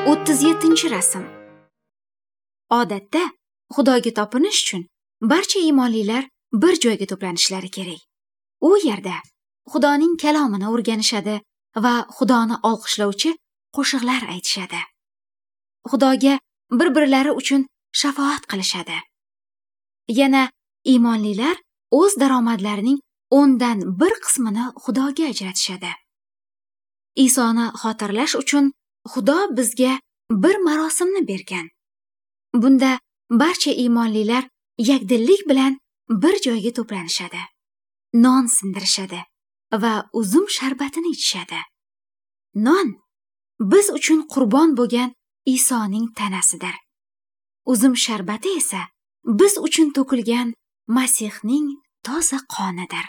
37-rasm. Odatda Xudoga topinish uchun barcha iymonlilar bir joyga to'planishlari kerak. U yerda Xudoning kalomini o'rganishadi va Xudoni olqishlovchi qo'shiqlar aytishadi. Xudoga bir-birlari uchun shafoat qilishadi. Yana iymonlilar o'z daromadlarining 1% qismini Xudoga ajratishadi. Isoni xotirlash uchun Xudo bizga bir marosimni bergan. Bunda barcha iymonlilar yakdillik bilan bir joyga to'planishadi. Non sindirishadi va uzum sharbatini ichishadi. Non biz uchun qurbon bo'lgan Isoning tanasidir. Uzum sharbati esa biz uchun to'kilgan Masihning toza qonidir.